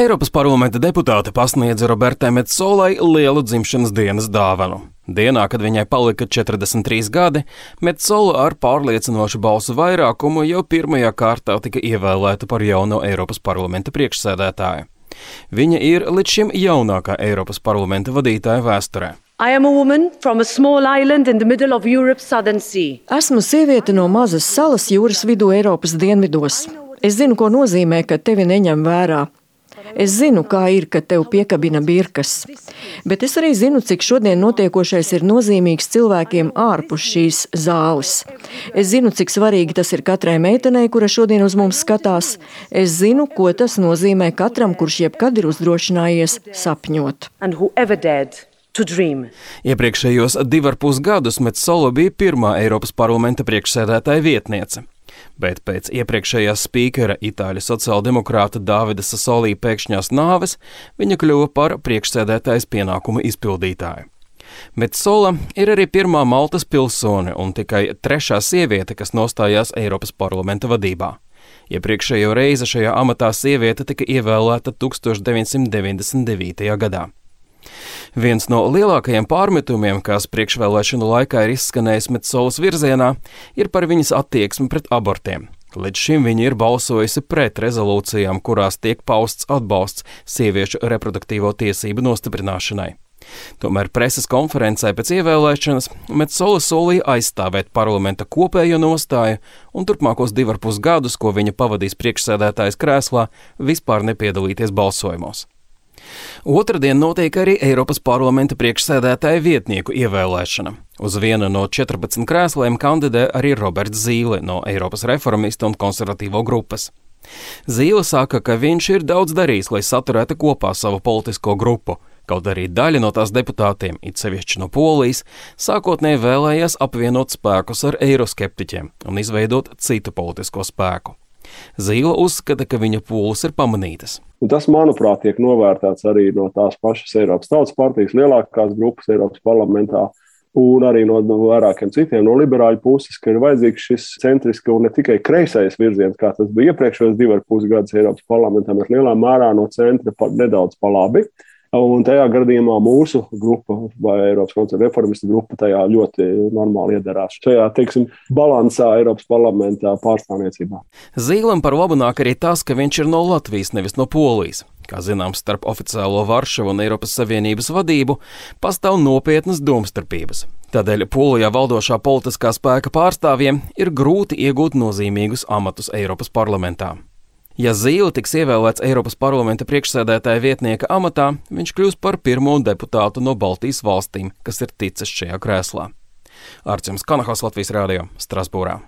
Eiropas parlamenta deputāte pasniedza Robertai Metsolai lielu dzimšanas dienas dāvanu. Dienā, kad viņai palika 43 gadi, Metsola ar pārliecinošu balsu vairākumu jau pirmajā kārtā tika ievēlēta par jauno Eiropas parlamenta priekšsēdētāju. Viņa ir līdz šim jaunākā Eiropas parlamenta vadītāja vēsturē. Esmu sieviete no mazas salas jūras vidū Eiropas dienvidos. Es zinu, ko nozīmē, ka tevi neņem vērā. Es zinu, kā ir, kad tev piekabina birkas. Bet es arī zinu, cik šodien notiekošais ir nozīmīgs cilvēkiem ārpus šīs zāles. Es zinu, cik svarīgi tas ir katrai meitenei, kura šodien uz mums skatās. Es zinu, ko tas nozīmē katram, kurš jebkad ir uzdrošinājies sapņot. Iepriekšējos 2,5 gadus Metsola bija pirmā Eiropas parlamenta priekšsēdētāja vietniece. Bet pēc iepriekšējās spīkera itāļu sociāldemokrāta Davida Sasolī pēkšņās nāves viņa kļuva par priekšsēdētājas pienākumu izpildītāju. Metsola ir arī pirmā Maltas pilsone un tikai trešā sieviete, kas nostājās Eiropas parlamenta vadībā. Iepriekšējo reizi šajā amatā sieviete tika ievēlēta 1999. gadā. Viens no lielākajiem pārmetumiem, kas priekšvēlēšanu laikā ir izskanējis Metsolas virzienā, ir par viņas attieksmi pret abortiem. Līdz šim viņa ir balsojusi pret rezolūcijām, kurās tiek pausts atbalsts sieviešu reproduktīvo tiesību nostiprināšanai. Tomēr preses konferencē pēc ievēlēšanas Metsola solīja aizstāvēt parlamenta kopējo nostāju un turpmākos 2,5 gadus, ko viņa pavadīs priekšsēdētājas krēslā, vispār nepiedalīties balsojumos. Otradien notiek arī Eiropas parlamenta priekšsēdētāja vietnieku ievēlēšana. Uz vienu no 14 krēsliem kandidē arī Roberts Zīle no Eiropas reformistu un konservatīvo grupas. Zīle saka, ka viņš ir daudz darījis, lai saturētu kopā savu politisko grupu, kaut arī daļa no tās deputātiem, it sevišķi no Polijas, sākotnēji vēlējās apvienot spēkus ar eiroskeptiķiem un izveidot citu politisko spēku. Zīle uzskata, ka viņa pūles ir pamanītas. Un tas, manuprāt, tiek novērtēts arī no tās pašas Eiropas Tautas partijas lielākās grupas Eiropas parlamentā un arī no vairākiem citiem no liberāļu puses, ka ir vajadzīgs šis centriski un ne tikai kreisais virziens, kā tas bija iepriekšējos 2,5 gadus Eiropas parlamentā, bet lielā mērā no centra nedaudz pa labi. Un tajā gadījumā mūsu grupa vai Eiropas konservatīvo reformistu grupa tajā ļoti normāli iedarās. Šajā, balansā Eiropas parlamentā pārstāvniecībā. Zīlam par labu nāk arī tas, ka viņš ir no Latvijas, nevis no Polijas. Kā zināms, starp oficiālo Varšavu un Eiropas Savienības vadību pastāv nopietnas domstarpības. Tādēļ Polijā valdošā politiskā spēka pārstāvjiem ir grūti iegūt nozīmīgus amatus Eiropas parlamentā. Ja Zīle tiks ievēlēts Eiropas parlamenta priekšsēdētāja vietnieka amatā, viņš kļūs par pirmo deputātu no Baltijas valstīm, kas ir ticis šajā krēslā. Arčuns Kanahos, Latvijas Rādio, Strasbūrā.